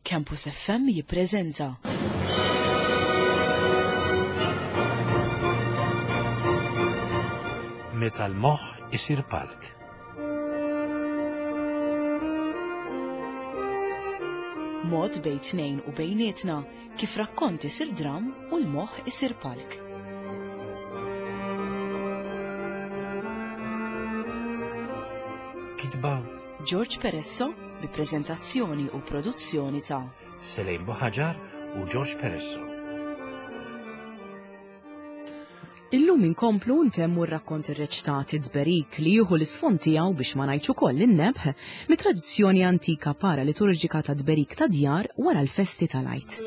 Campus FM jippreżenta. Meta l-moħħ isir palk. Mod bejn tnejn u bejnietna kif rakkont isir dram u l-moħħ isir palk. Kitba George Peresso bi preżentazzjoni u produzzjoni ta' Selejn Buħaġar u George Peresso. Illum inkomplu ntemmu r-rakkont irreċtat id-tberik li jieħu l-isfond tiegħu biex ma ngħidx ukoll in-nebħ mit-tradizzjoni antika paraliturġika ta' tberik ta' djar wara l-festi tal-Għid.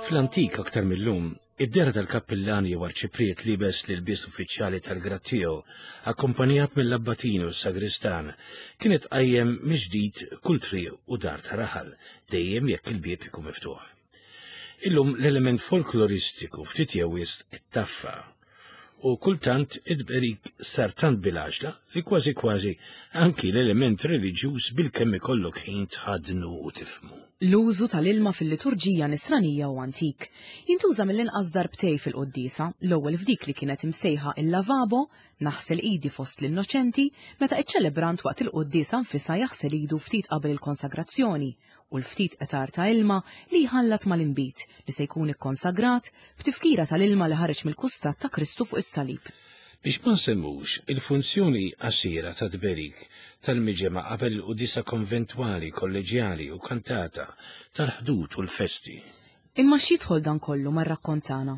Fl-antik aktar mil-lum, id-dehra tal-kappillan jew arċipriet liebes l-ilbies uffiċjali tal-grad tiegħu, akkumpanjat mill-abbatini u s-sagristan, kienet tqajjem mill-ġdid kull triq u dar ta' raħal, dejjem jekk il-bieb ikun miftuħ. Illum l-element folkloristiku ftit jew wisq ittaffa u kultant id-tberik sar tant bil-għaġla li kważi kważi anki l-element reliġjuż bilkemm ikollok ħin tħaddnu u tifhmu. L-użu tal-ilma fil-liturġija Nisranija hu antik. Jintuża mill-inqas darbtej fil-quddiesa, l-ewwel f'dik li kienet imsejħa il-lavabo, naħsel idi fost l-innoċenti, meta ċ-ċelebrant waqt il-quddiesa nfisha jaħsel idu ftit qabel il-konsagrazzjoni, u l-ftit qtar ta' ilma li jħallat mal-inbid li se jkun ikkonsagrat b'tifkira tal-ilma li ħareġ mill-kustat ta' Kristu fuq is-salib. Biex ma nsemmux il-funzjoni qasira ta' tberik tal-miġemgħa qabel il-quddiesa konventwali, kolleġjali u kantata tal-Ħdud u l-festi. Imma x'jidħol dan kollu mar-rakkont tagħna?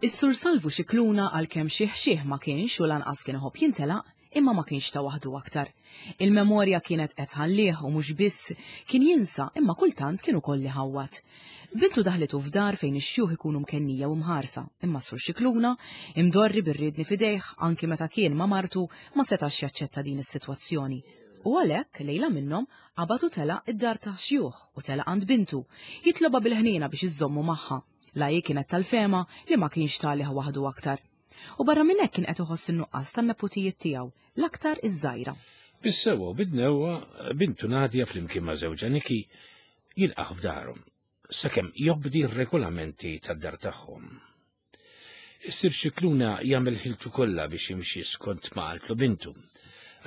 Is-Sur Salvu Scicluna għalkemm xiħ xiħ ma kienx u lanqas kien iħobb jintelaq, imma ma kienx ta' waħdu aktar. Il-memorja kienet qed tħallih u mhux biss kien jinsa imma kultant kien ukoll iħawwad. Bintu daħlitu f'dar fejn ix-xjuħ ikunu mkennija u mħarsa, imma s-Sur Scicluna, imdorri bir-riedni f'idejh anki meta kien ma' martu, ma setax jaċċetta din is-sitwazzjoni. U għalhekk, lejla minnhom, qabad u telaq id-dar tax-xjuħ u telaq għand bintu, jitlobha bil-ħniena biex iżżommu magħha, la hi kienet tal-fehma li ma kienx tagħlih waħdu aktar. U barra minn hekk kien qed iħoss in-nuqqas tan-neputijiet tiegħu, l-aktar iż-żgħira. Bis-sewwa u bid-dnewwa, bintu Nadia flimkien ma' żewġha Niki jilqgħu f'darhom, sakemm jobdi r-regolamenti tad-dar tagħhom. Is-Sir Scicluna jagħmel ħiltu kollha biex jimxi skont ma qaltlu bintu.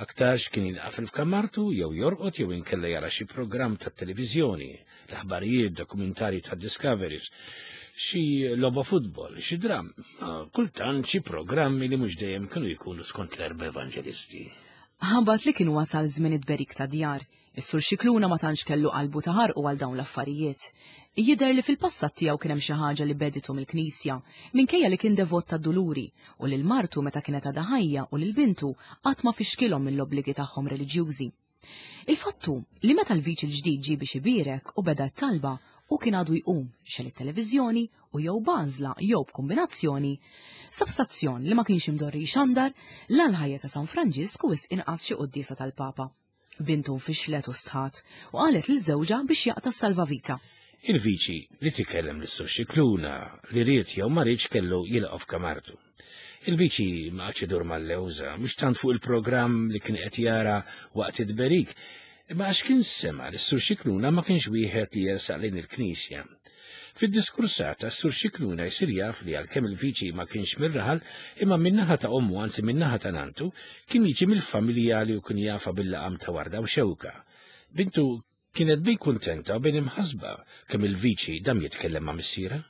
Aktarx kien jinqafel f'kamartu jew jorqod jew inkella jara xi programm tat-televiżjoni, l-aħbarijiet, dokumentarji ta' Discoveries, xi logħba futbol, xi dramm, kultant xi programmi li mhux dejjem kienu jkunu skont l-erba' evanġelisti. Ħabat li kien wasal żmien it-tberik ta' djar, Is-Sur Scicluna ma tantx kellu qalbu taħarqu għal dawn l-affarijiet. Jidher li fil-passat tiegħu kien hemm xi ħaġa li beditu mill-Knisja, minkejja li kien devot tad-Duluri, u lil martu meta kienet għadha ħajja u lil bintu qatt ma fixkilhom mill-obbligi tagħhom reliġjużi. Il-fatt hu li meta l-viċi l-ġdid ġie biex ibierek u beda t-talba, hu kien għadu jqum, xegħel it-televiżjoni u jew b'għażla jew b'kumbinazzjoni, sab stazzjon li ma kienx imdorri jxandar la l-ħajja ta' San Franġisk u wisq inqas xi quddiesa tal-Papa. Bintu nfixlet u stħat u qalet lil żewġha biex jaqta' s-salvavita. Il-viċi li tikellem lis-Sur Scicluna li ried jew ma riedx kellu jilqgħu f'kamartu. Il-viċi ma qagħadx idur mal-lewża, mhux tant fuq il-programm li kien qed jara waqt it-tberik, imma għax kien sema' li s-Sur Scicluna ma kienx wieħed li jersaq lejn il-knisja. Fid-diskursata, s-Sur Scicluna jsir jaf li għalkemm il-viċi ma kienx mir-raħal, imma min-naħa ta' ommu, anzi min-naħa ta' nantu, kien jiġi mill-familja li hu kien jafha bil-laqam ta' Warda u Xewka. Bintu kienet bejn kuntenta u bejn imħassba kemm il-viċi dam jitkellem ma' missierha.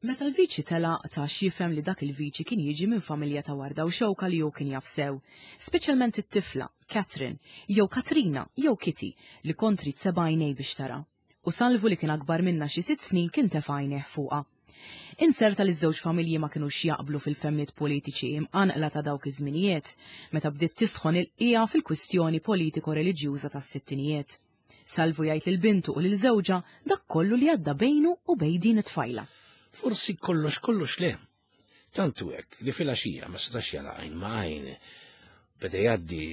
Meta l-viċi telaq ta x'jifhem li dak il-viċi kien jiġi minn familja ta' Warda u Xewka li hu kien jaf sew, speċjalment it-tifla, Catherine, jew Katrina, jew Kitty, li kont trid seba' għajnej biex tara. U Salvu li kien akbar minnha xi sitt snin kien tefa' għajnejh fuqha. Inzerta li ż-żewġ familji ma kinux jaqblu fil-fehmiet politiċi imqanqla ta' dawk iż-żminijiet, meta bdiet tisħon il-qiegħa fil-kwistjoni politiko-reliġjuża tas-sittinijiet. Salvu jgħid lil bintu u lil żewġha dak kollu li għadda bejnu u bejn din it-tfajla. Forsi kollox kollox le. Tant hu hekk li filgħaxija ma setax jara għajn ma' għajn. Beda jgħaddi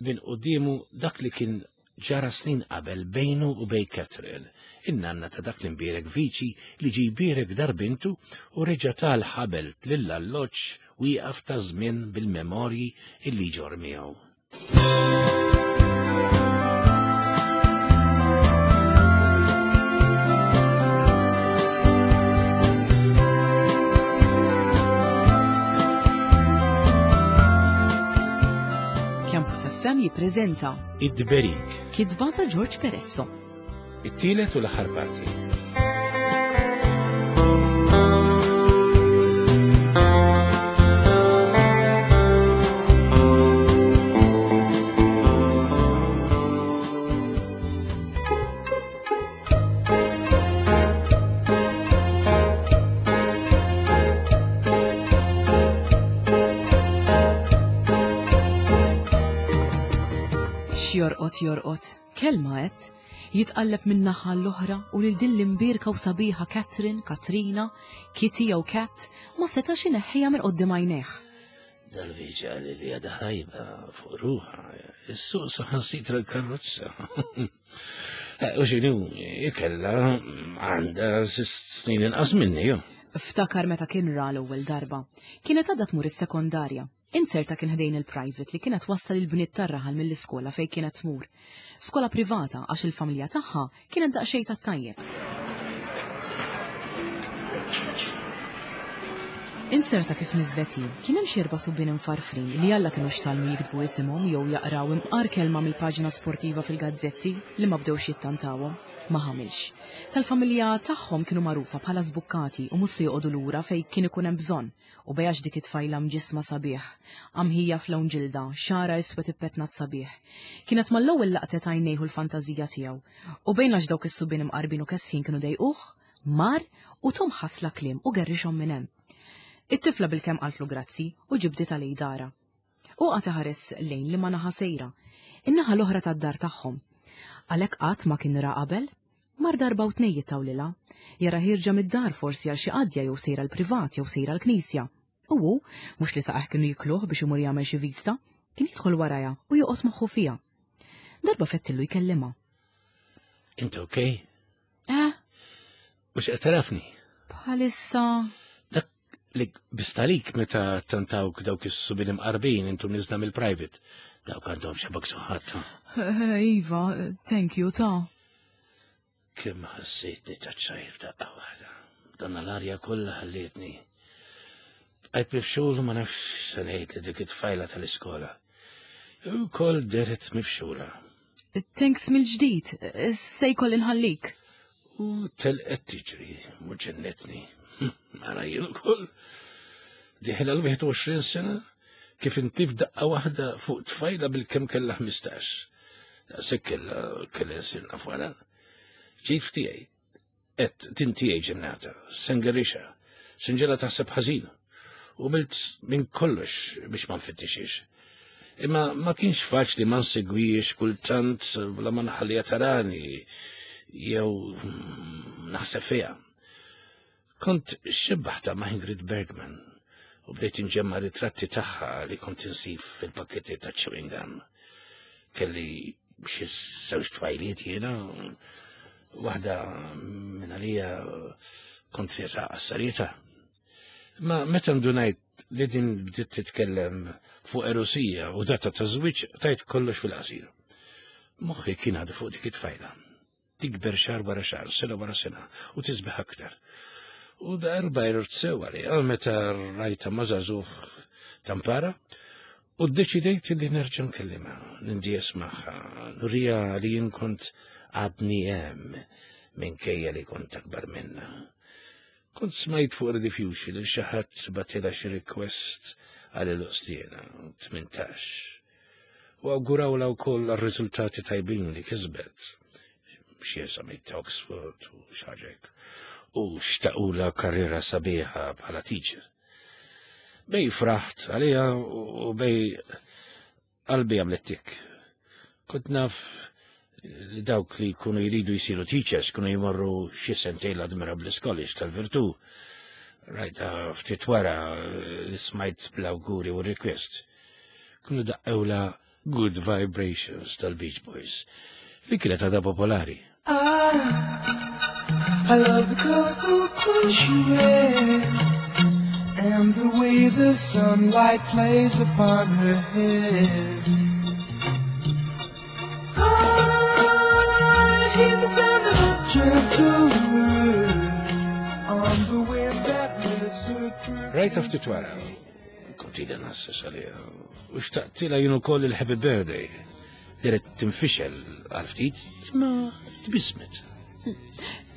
minn quddiemu dak li kien ġara snin qabel bejnu u bejn Catherine, in-nanna ta' dak l-imbierek viċi li ġie jbierek dar bintu u reġa' ta l-ħabel lill-alloġġ wieqaf ta' żmien bil-memorji illi jġorr miegħu. Campus FM jippreżenta Id-Dberik. Kitba ta' George Peresso. It-tielet u l-aħħar parti. X'jorqod jorqod, kelma għedt, jitqalleb minn naħa l-oħra u lil din l-imbierka u sabiħa Catherine, Katrina, Kitty jew Cat ma setax ineħħiha minn quddiem għajnejh. Dal-viġa li li għadha ħajba fuq ruħha, is-suq saħansitra l-karozza. Eh, u xinu, ikella għandha snin inqas minni, jo. Ftakar meta kien ra l-ewwel darba. Kienet għadha tmur is-sekondarja. Inzerta kien ħdejn il-private li kienet wassal il-bniet tar-raħal mill-iskola fejn kienet tmur. Skola privata għax il-familja tagħha kienet daqsxejn tat-tajjeb. Inzerta kif niżlet hi, kien hemm xi erba' subien imfarfrin li Alla kinux tgħallmu jiktbu isimhom jew jaqraw imqar kelma mill-paġna sportiva fil-gazzetti li ma bdewx jittantawhom. Ma ħamilx. Tal-familja tagħhom kienu magħrufa bħala żbukkati u mhux se joqogħdu lura fejn kien ikun hemm bżonn. U bejax dik it-tfajla mġissma sabiħ, qamħija f'lewn ġilda, xagħarha iswed ippetnat sabiħ. Kienet mal-ewwel laqtet għajnejh u l-fantażija tiegħu. U bejn għax dawk is-subien imqarbin u kesħin kienu dejquh, mar u thom ħasla kliem u gerrixhom minn hemm. It-tifla bilkemm qaltlu grazzi u ġibditha lejn darha. Hu qagħad iħares lejn liema naħa sejra, in-naħa l-oħra tad-dar tagħhom. Għalhekk qatt ma kien ra qabel. Mar darba u tnejn jittawlilha. Jara ħierġa mid-dar forsi għal xi qadja jew sejra l-privat jew sejra l-knisja. U hu, mhux li saqajh kienu jikluh biex imur jagħmel xi vista, kien jidħol warajha u joqgħod moħħu fiha. Darba fettillu jkellimha. Int okej? Eh? Mhux qed tarafni? Bħalissa. Dak li bistalik meta tantawk dawk is-subin imqarbin intom niżla mill-private. Dawk għandhom xabak suħat. Eh, iva, thank you ta' Kemm ħassejtni taċċajr daqqa waħda. Donna l-arja kollha ħallietni. Bqajt mifxul ma nafx se ngħid li dik it-tfajla tal-iskola. Ukoll deret mifxula. Thanks mill-ġdid, se jkolli nħallik. U telqet tiġri, u ġennetni. Ara jien ukoll. Diħel għal 21 sena kif inti f'daqqa waħda fuq tfajla bil-kemm kellha 15. Daqshekk kellha kellha nsir naf wara. Ġif tiegħi, Et din tiegħi ġennata, se ngerrixha, se nġegħla taħseb ħażin. U milt minn kollox biex ma nfittixhiex. Imma ma kienx faċli ma nsegwihiex kultant bla ma nħalliha tarani jew naħseb fiha. Kont xebbaħta ma' Ingrid Bergman u bdejt inġemma ritratti tagħha li kont insib fil-pakketti ta' chewing gum. Kelli xi żewġ tfajliet jiena, waħda minn għalija kont riesa għas-serjetà. Ma meta ndunajt li din bdiet titkellem fuq erusija u data ta' żwieġ tajt kollox fil-qasir. Moħħi kien għadu fuq dik it-tfajla. Tikber xahar wara xahar, sena wara sena, u tisbeħ aktar. U darba jrort sew għalija meta rajta ma' żagħżugħ tampara u ddeċidejt li nerġa' nkellimha, nindies magħha, nurija li jien kont għadni hemm minkejja li kont akbar minnha. Kont smajt fuq Rediffusion li xi ħadd batilha xi request għal il-Ostiena, 18. U awgurawlha wkoll għar-riżultati tajbin li kisbet. Xi eżami ta' Oxford u xaġek. U xtaqula karriera sabiħa bħala teacher. Bej fraħt għaliha u bej Qalbi għamlet tik. Kont naf li dawk li jkunu jridu jsiru teachers kienu jmorru xi sentejn l-Admirable College tal-Virtù. Rajta ftit wara li smajt bl-awguri u request. Kienu daqqewla Good Vibrations tal-Beach Boys. li kienet għadha popolari. I love the colorful clothes she wears And the way the sunlight plays upon her hair I hear the sound of a gentle word On the wind that lifts her perfume Rajtha ftit wara, kont ili nasses għaliha, u xtaqtilha jien ukoll il-happy birthday. Deret tinfixel għal ftit, imma tbissmet.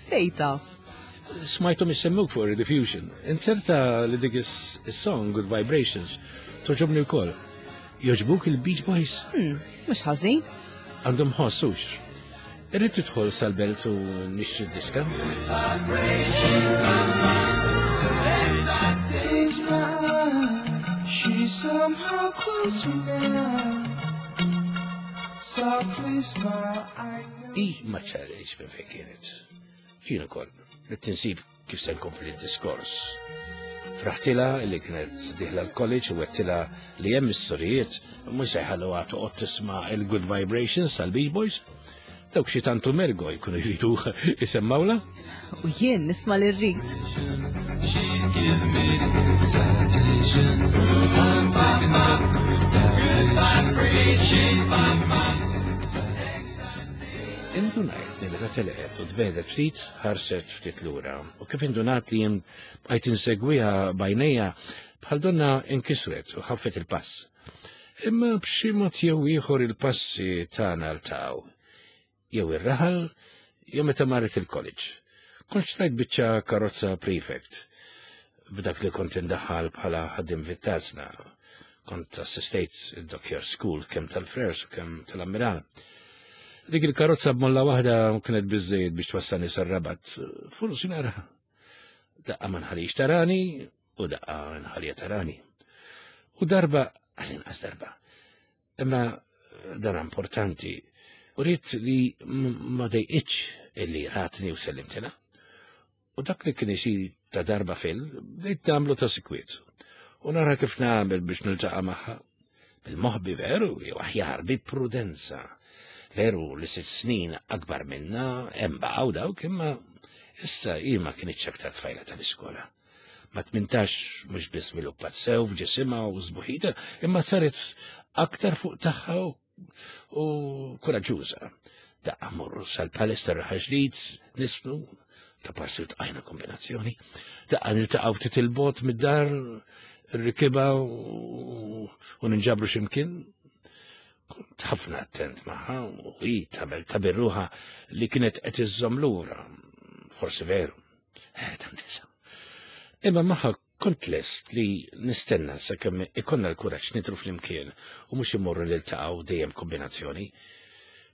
Fejn taf? Smajthom isemmuk fuq Rediffusion. Inzerta li dik is-song Good Vibrations toġobni wkoll. Joġbuk il-Beach Boys? Hmm, mhux ħażin. Għandhom ħossux. Irrid tidħol sal-belt u nixtri diska. She's somehow closer now. Softly smile, I know. I ma ċarriċ minn fejn kienet. Jien ukoll, li tinsib kif se nkompli d-diskors. Fraħtilha li kienet dieħla l-college u għedtilha li hemm is-sorijiet mhux se jħalluha toqgħod tisma' il-Good Vibrations tal-Beach Boys. Dawk xi tantu mergo jkunu jridu isemmawla. U jien nisma' li rrid. Indunajt li meta telqet u tbegħdet ftit, ħarset ftit lura u kif indunat li jien bqajt insegwiha b'għajnejja bħal donna inkisret u ħaffet il-pass. Imma b'xi mod jew ieħor il-passi tagħna ltaqgħu. Jew ir-raħal jew meta marret il-college. Kont xtrajt biċċa karozza prefect b'dak li kont indaħħal bħala ħaddim fit-tazna. Kont assistejt id-Dockyard School kemm tal-Frers u kemm tal-Ammiral. Dik il-karozza b'molla waħda kienet biżżejjed biex twassalni sar-Rabat. Forsi naraha. Daqqa ma nħallix tarani u daqqa nħallija tarani. U darba, għal-inqas darba, imma dan importanti, u rrid li ma dejqitx illi ratni u sellimtilha. U dak li kien isir ta' darba fil, bdejt nagħmlu ta' sikwiet. U nara kif nagħmel biex niltaqa' magħha. Bil-moħbi veru, jew aħjar bi prudenza. Veru li sitt snin akbar minna hemm baqgħu dawk imma issa hi ma kinitx aktar tfajla tal-iskola. Ma tmintax mhux biss żviluppat sew f'ġisimha u sbuħita, imma saret aktar fuq tagħha u kuraġġuża. Daqqa morru sal-Palace tar-Raħal Ġdid, nisfnu, ta' parsi tqajna kombinazzjoni. Daqqa niltaqgħu ftit il-bot mid-dar, rikiba u ninġabru x'imkien. Kont ħafna attent magħha u hi tagħmel ta' birruħa li kienet qed iżżomm lura. Forsi veru. Eh, ta' nisa. Imma magħha Kont lest li nistenna sakemm ikollna l-kuraġġ nidhru flimkien u mhux immorru niltaqgħu dejjem kombinazzjoni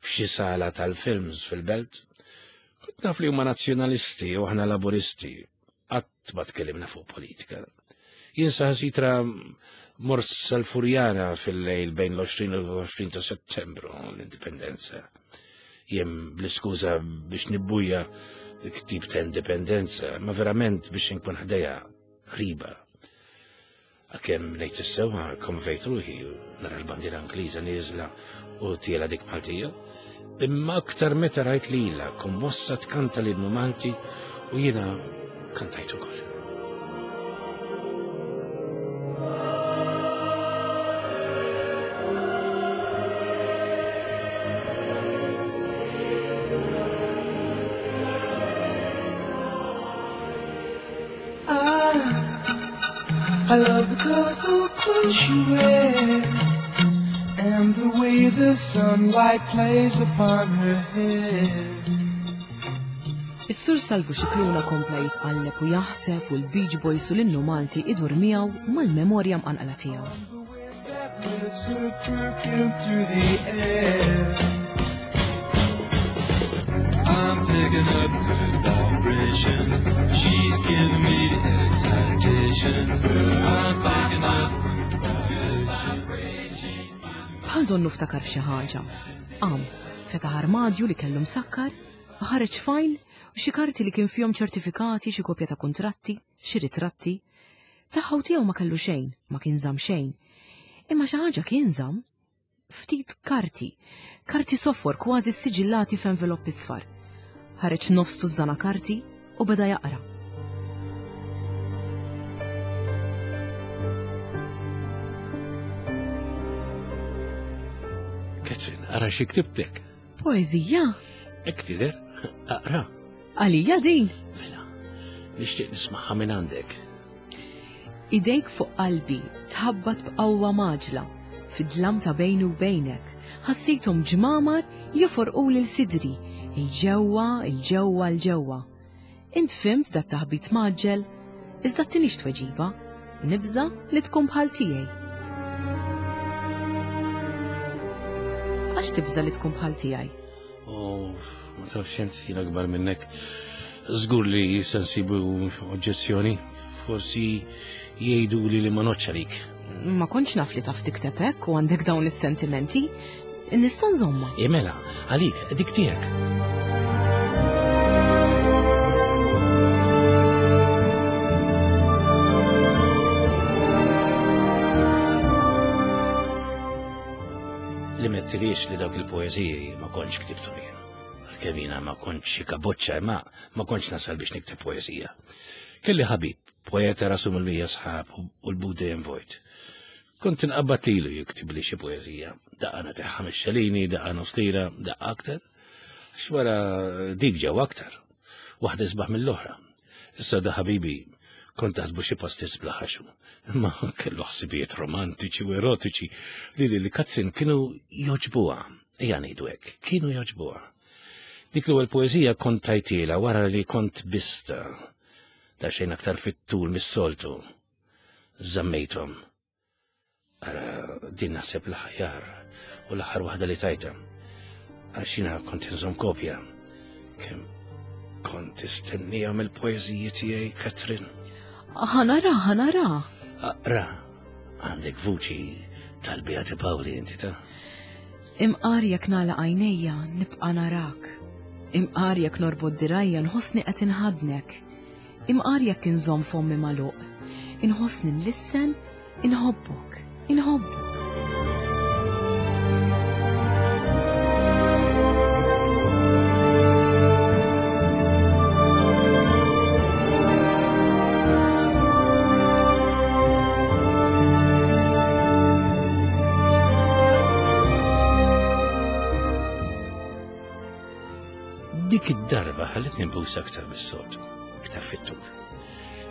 f'xi sala tal-films fil-belt. Kont naf li huma nazzjonalisti u aħna laburisti. Qatt ma tkellimna fuq politika. Jien saħansitra mort sal-Furjana fil-lejl bejn l-20 u l-20 ta' Settembru l-Indipendenza. Jien bl-iskuża biex nibbuja dik tip ta' indipendenza, ma verament biex inkun ħdejha qriba. Għalkemm ngħid is-sewwa konvejt ruħi nara l-bandiera Ingliża nieżla u tiela dik Maltija. Imma aktar meta rajt lilha kommossa tkanta l-innu Malti u jiena kantajt ukoll. I love the colorful clothes she wears And the way the sunlight plays upon her hair Is-Sur Salvu Scicluna kompla jitqalleb u jaħseb u l-Beach Boys u l-innu Malti idur miegħu mal-memorja mqanqla tiegħu. I'm picking up good vibrations. She's giving me the excitations. I'm picking up good vibrations. Bħal donnu ftakar f'xi ħaġa. Qam, fetaħ armadju li kellu msakkar u ħareġ fajl u xi karti li kien fihom ċertifikati, xi kopja ta' kuntratti, xi ritratti. Tagħha u tiegħu ma kellu xejn, ma kien żamm xejn. Imma xi ħaġa kien żamm. ftit karti. Karti sofor kważi ssiġillati f'envelopp isfar. Ħareġ nofs tużżana karti u beda jaqra. Catherine, ara xi ktibtek. Poeżija? Hekk tidher, aqra. Għalija din? Mela, nixtieq nismagħha minn għandek. Idejk fuq qalbi tħabbat b'qawwa mgħaġġla, fid-dlam ta' bejni u bejnek, ħassejthom ġmamar joforqu lil sidri, 'il ġewwa, 'il ġewwa, 'il ġewwa. Int fhimt dat-taħbit mgħaġġel, iżda ttinix tweġiba, nibża' li tkun bħal tiegħi. Għax tibża' li tkun bħal tiegħi? Oh, ma tafx int jien akbar minnek. Żgur li se nsibu oġġezzjoni. Forsi jgħidu li li ma noċċ għalik. Ma kontx naf li taf tikteb hekk u għandek dawn is-sentimenti. Nista' nżomma. Imela, għalik, dik tiegħek. Li mettilix li dawk il-poeżiji ma kontx ktibthom jien. Għalkemm jiena ma kontx xi kaboċċa imma ma kontx nasal biex nikteb poeżija. Kelli ħabib, poeta rasu mill-mija sħab u l-but dejjem vojt. Kont inqabbad lilu jiktibli xi poeżija. Daqqa nagħtih ħames xelini, daqqa nofs lira, daqqa aktar. Għax wara dik ġew aktar. Waħda isbaħ mill-oħra. Issa da ħabibi kont taħsbu xi pastizz bla ħaxu. Imma kellu ħsibijiet romantiċi u erotiċi li lil Katrin kienu joġbuha. Ejja ngħidu hekk, kienu joġbuha. Dik l-ewwel poeżija kont tajtiela wara li kont bista ta' xejn aktar fit-tul mis-soltu. Żammejthom. Ara, din naħseb l-aħjar u l-aħħar waħda li tajta. Għax jiena kont inżomm kopja. Kemm kont istennija mill-poeżiji tiegħi, Catherine. Ħanara, ħanara. Aqra, għandek vuċi tal-Beati Paoli inti ta' Imqar jekk nagħlaq għajnejja nibqa' narak. Imqar jekk norbot dirajja nħossni qed inħadnek. Imqar jekk inżomm fommi magħluq, inħossni nlissen inħobbok, inħobbok. Dik id-darba ħallitni nbus aktar mis-soltu, aktar fit-tul.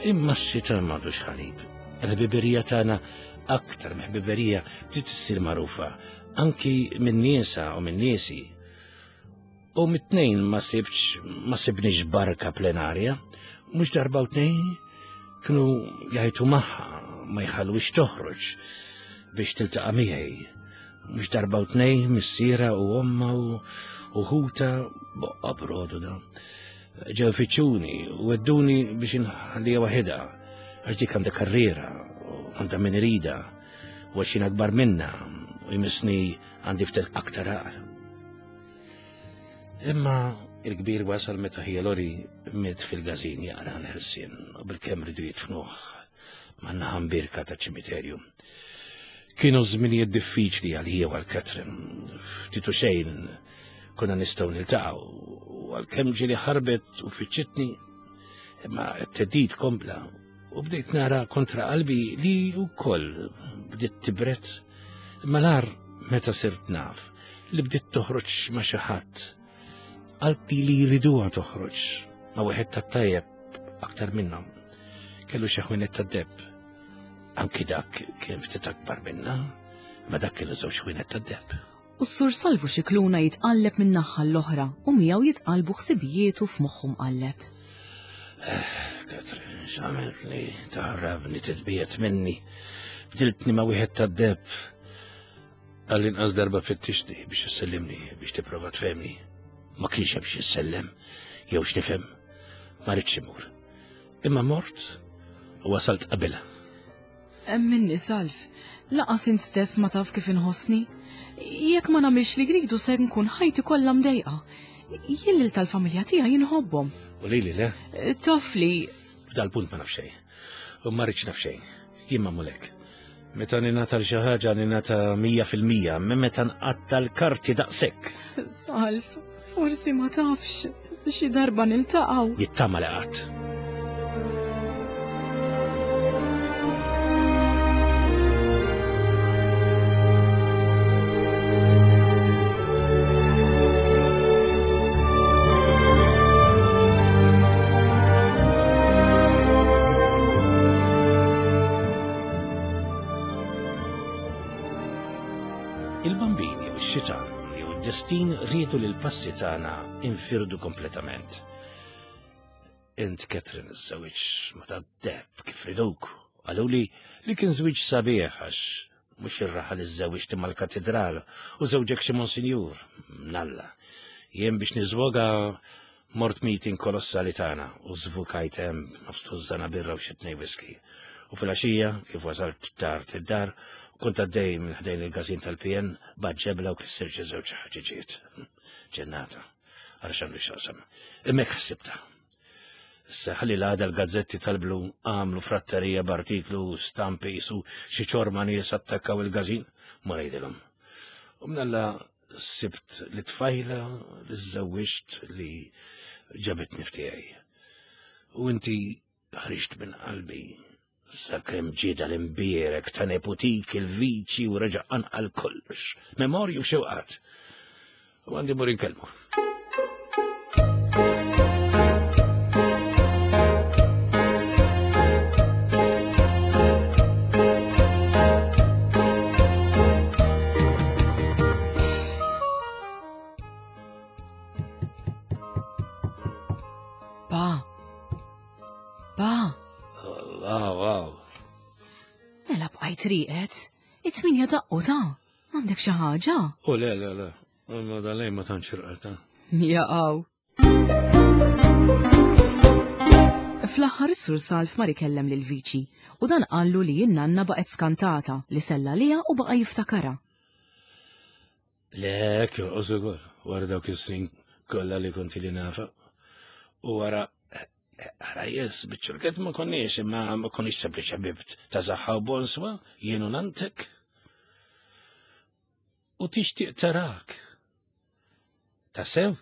Imma x-xitan m'għandux ħalib. Il-ħbiberija tagħna aktar mill-ħbiberija bdiet issir magħrufa anki minn niesa u minn niesi. U mit-tnejn ma sibx ma sibniex barka plenarja, mhux darba u tnejn kienu jgħajtu magħha ma jħallwix toħroġ biex tiltaqa' miegħi. Mhux darba u tnejn missiera u omma u ħuta boqqa brodu da. Ġew fiċċuni u wedduni biex inħallija waħedha għax dik għandha karriera u għandha min irida u għax jien akbar minna u jmissni għandi ftit aktar għaqal. Imma il-kbir wasal meta ħija Lori miet fil-gazin jaqra l-ħelsien u bil-kemm ridu jitfnuh man-naħa mbierka taċ-ċimiterju. Kienu żminijiet diffiċli għalija u għal Catherine. Ftit u xejn konna nistgħu niltaqgħu u għalkemm ġieli ħarbet u fiċċitni, imma t-theddid kompla u bdejt nara kontra qalbi li wkoll bdiet tibret. Imma nar meta sirt naf li bdiet toħroġ ma' xi ħadd. Qalbi li jriduha toħroġ ma' wieħed tat-tajjeb aktar minnhom. Kellu xi ħwienet tad-deb. Anki dak kien ftit akbar minna, ma dak kellu żewġ ħwienet tad-deb. U s-Sur Salvu Scicluna jitqalleb minn naħa l-oħra u miegħu jitqallbu ħsibijietu f'moħħu mqalleb. Eh, Katrin, x'għamiltli taħrabni titbiet minni. Bdiltni ma' wieħed tad-deb. Għall-inqas darba fittixni biex issellimni biex tipprova tfehmni. Ma kienx hemm xi ssellem jew x'nifhem. Ma ridx imur. Imma mort u wasalt qabilha. Emminni, Salv, laqas int stess ma taf kif inħossni. Jekk ma nagħmilx li jridu se nkun ħajti kollha mdejqa. Jien lil tal-familja tiegħi inħobbhom. U lili le? Taf li. F'dal-punt ma naf xejn. U ma rridx naf xejn. Jien magħmul hekk. Meta ninata l xi ħaġa ninata 100% minn meta nqatta l-karti daqshekk. Salv, forsi ma tafx xi darba niltaqgħu. Jittama li qatt. Il-bambin jew ix-xitan jew id-destin riedu li l-passi tagħna infirdu kompletament. Int Catherine iż-żewġ ma ta' deb kif riduk, qaluli li kien żwieġ sabiħ għax mhux ir-raħal iżżewwiġt imma l-katidral u żewġek xi monsinjur. Mnalla. Jien biex niżwoga mort meeting kolossali tagħna u żvukajt hemm nofs tużżana birra u xi tnej whisky. U filgħaxija, kif wasalt tard id-dar, kont għaddej minn ħdejn il-każin tal-PN, bad ġebla u kissirt xi żewġ ħaġiġiet. Ġennata. Ara x'għandu x'jaqsam. Imma hekk ħsibtha. Issa ħalli l-għada l-gazzetti tal-blu għamlu fratterija b'artiklu stampi jisu xi ċorma nies attakkaw il-gazin, ma ngħidilhom. U mnalla sibt li tfajla li żżewwiġt li ġabitni ftiegħi. U inti ħriġt minn qalbi sakemm ġie dal-imbierek ta' neputik il-viċi u reġa' qanqal kollox, memorji u xewqat. U għandi mur inkellmu. Pa, Pa! Aw, aw. Mela bqajt rieqed, it-tminja daqqu ta' għandek xi ħaġa? U le, le, le, ma dalej ma tantx irqata. Jaqaw. Fl-aħħar is-Sur Salv mar ikellem lil Viċi u dan qallu li n-nanna baqgħet skantata li sella liha u baqa' jiftakarha. Le, hekk jonqos ukoll, wara dawk is-snin kollha li kont ili nafa. U wara ħrajjes biċ-ċurket ma konniex, imma ma konniex sempliċi ħbieb ta' saħħa u bonswa, jien u nantek. U tixtieq tarak. Tassew?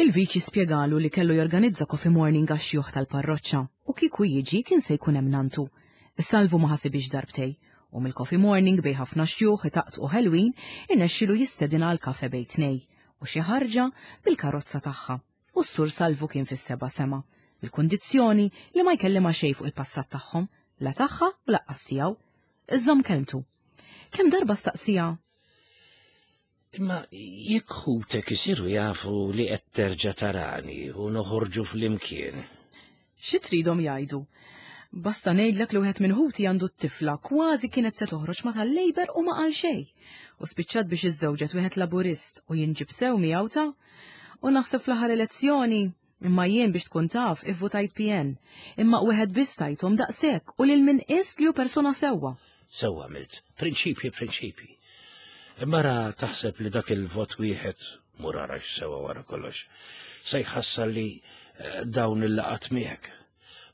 Il-viċi spjegalu li kellu jorganizza coffee morning għax-xjuħ tal-parroċċa u kieku jiġi kien se jkun hemm nantu. Salvu ma ħasibhiex darbtej u mill-coffee morning bejn ħafna xjuħ itaqtqu ħelwin irnexxielu jistedinha għal kafe bejn tnej u xi ħarġa bil-karozza tagħha u s-Sur Salvu kien fis-seba' sema bil-kundizzjoni li ma jkellimha xejn fuq il-passat tagħhom, la tagħha u laqqas tiegħu. Żomm kelmtu. Kemm darba staqsiha Imma jekk ħutek isiru jafu li qed terġa' tarani u noħorġu flimkien. Xi tridhom jgħidu? Basta ngħidlek li wieħed minn ħuti għandu t-tifla kważi kienet se toħroġ ma' tal-Labour u ma qal xejn. U spiċċat biex iżżewġet wieħed Laburist u jinġib sew miegħu ta' U naħseb fl-aħħar elezzjoni Imma jien biex tkun taf ivvutajt PN. Imma wieħed biss tajthom daqshekk u lil min qist li hu persuna sewwa. Sewwa għamilt. Prinċipji prinċipji. Imma ra taħseb li dak il-vot wieħed, mur ara x'sewwa wara kollox, se jħassar li eh, dawn il-laqat miegħek.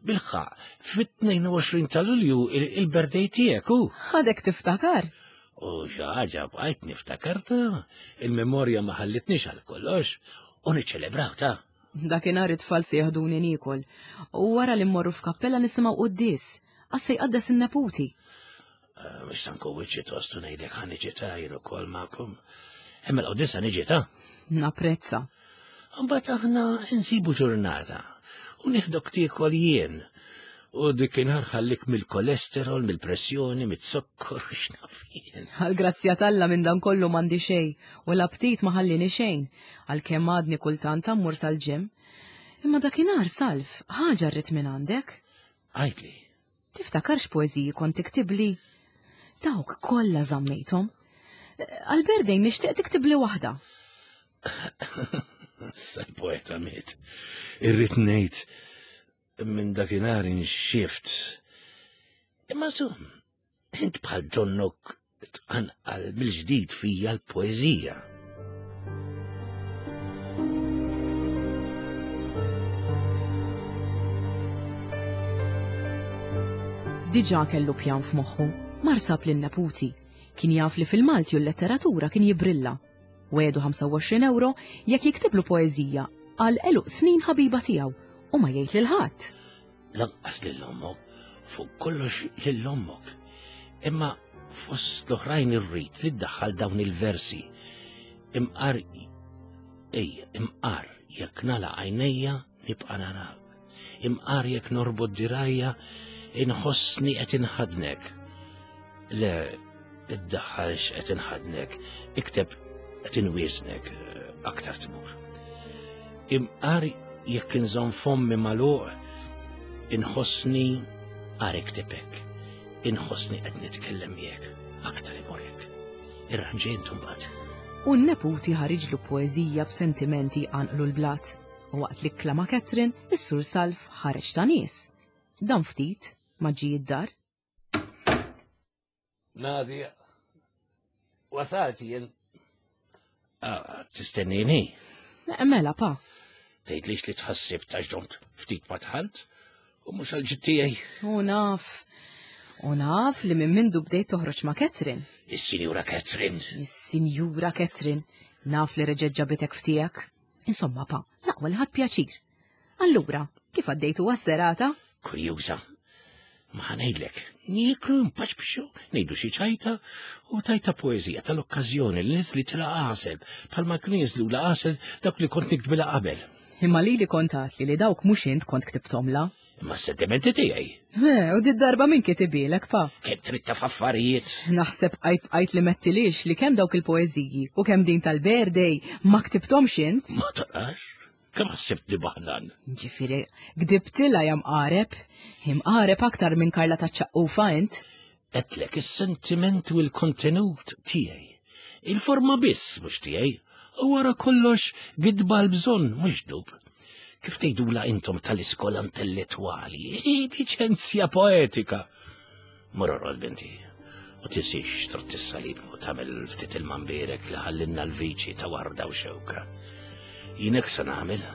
Bilħaq, fit-22 ta' Lulju il-birthday tiegħek hu. Għadek tiftakar? U xi ħaġa bqajt niftakar ta' il-memorja ma ħallitnix għal kollox u niċċelebraw ta'. Dakinhar it-tfal se jaħduni niekol u wara li mmorru f'kappella nisimgħu quddies għax se jqaddes in-neputi. Eh, mhux se nkun wiċċi tostu ngħidlek ħa niġi ta' jien ukoll magħkom. Imma l-quddiesa niġi ta'. Napprezza. Mbagħad aħna nsibu ġurnata u nieħdok tiekol jien. U dikinhar ħallik mill-kolesterol, mill-pressjoni, mit-zokkor, x'naf jien. Għall-grazzja t'Alla minn dan kollu m'għandi xejn u l-aptit ma ħallini xejn, għalkemm għadni kultant ammur sal-gym. Imma dakinhar, Salv, ħaġa rrid minn għandek. Għidli. Tiftakar x'poeżiji kont tiktibli? Dawk kollha żammejthom. Għal-birthday nixtieq tiktibli waħda. Issa l-poeta miet. Irrid ngħid minn dakinhar inxift. Imma sum, int bħal donnok tqanqal mill-ġdid fija l-poeżija. Diġà kellu pjan f'moħħu. Mar sab lin-neputi. Kien jaf li fil-Malti u l-letteratura kien jibrilla. Wegħdu 25 ewro jekk jiktiblu poeżija għal għeluq snin ħabiba tiegħu u ma jgħid lil ħadd. Lanqas lil ommok, fuq kollox lil ommok. Imma fost l-oħrajn irrid li ddaħħal dawn il-versi. Imqar ejja, imqar jekk nagħlaq għajnejja nibqa' narak. Imqar jekk norbot dirajja inħossni qed inħadnek. Le, iddaħħalx qed inħadnek, ikteb qed inwiesnek eh, aktar tmur. Imqar jekk inżomm fommi magħluq, inħossni qar ikteb hekk, inħossni qed nitkellem miegħek aktar imur hekk. Irranġi intu mbagħad. U n-neputi ħariġlu poeżija b'sentimenti jqanqlu l-blat. U waqt li kklama Catherine, is-Sur Salv ħareġ ta' nies. Dan ftit ma ġie d-dar. Nadia, wasalt jien. Ah, tistennini? Mela, pa. Tgħidlix li tħassib ta' ġdont ftit ma tħalt u mhux għal tiegħi. U naf. U naf li minn mindu bdejt toħroġ ma' Catherine. Is-Sinjura Catherine. Is-Sinjura Catherine. Naf li reġgħet ġabitek f'tiegħek. Insomma, pa, l-aqwa li ħadt pjaċir. Allura, kif għaddejtu għas-serata? Kurjuża. Ma ħanejdlek, nieklu npaċbxu, ngħidu xi ċajta u tajta poeżija tal-okkażjoni li niżli tila għasel, bħalma kienu jinżlu la għasel dak li kont niktbilha qabel. Imma lili kont għatli li dawk mhux int kont ktibtomla. Imma s-sentimenti tiegħi. U di darba min kitibilek, pa? Kemm trid taf affarijiet? Naħseb bqajt bqajt li mettilix li kemm dawk il-poeżiji u kemm din tal-birthday ma ktibthomx int. Ma tarax? Kemm ħsibt li baħnan? Ġifieri, gdibtilha ja mqareb. Imqareb aktar minn Karla taċ-ċaqqufa int. Għedtlek is-sentiment u l-kontenut tiegħi. Il-forma biss mhux tiegħi. U wara kollox gidba l-bżonn mhux dub. Kif tgħidula intom tal-iskola intellettwali, liċenzja poetika. Mur orqod binti. U tinsiex trott is-salib u tagħmel ftit il-mambirek li ħallinna l-viċi ta' warda u xewka. Jien hekk se nagħmel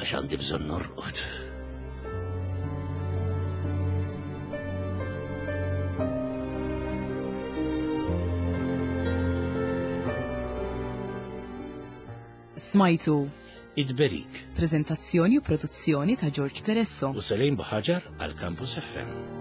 għax għandi bżonn norqod. Smajtu Id-Berik. Prezentazzjoni u produzzjoni ta' George Peresso. U Selim Buħaġar għal Campus FM.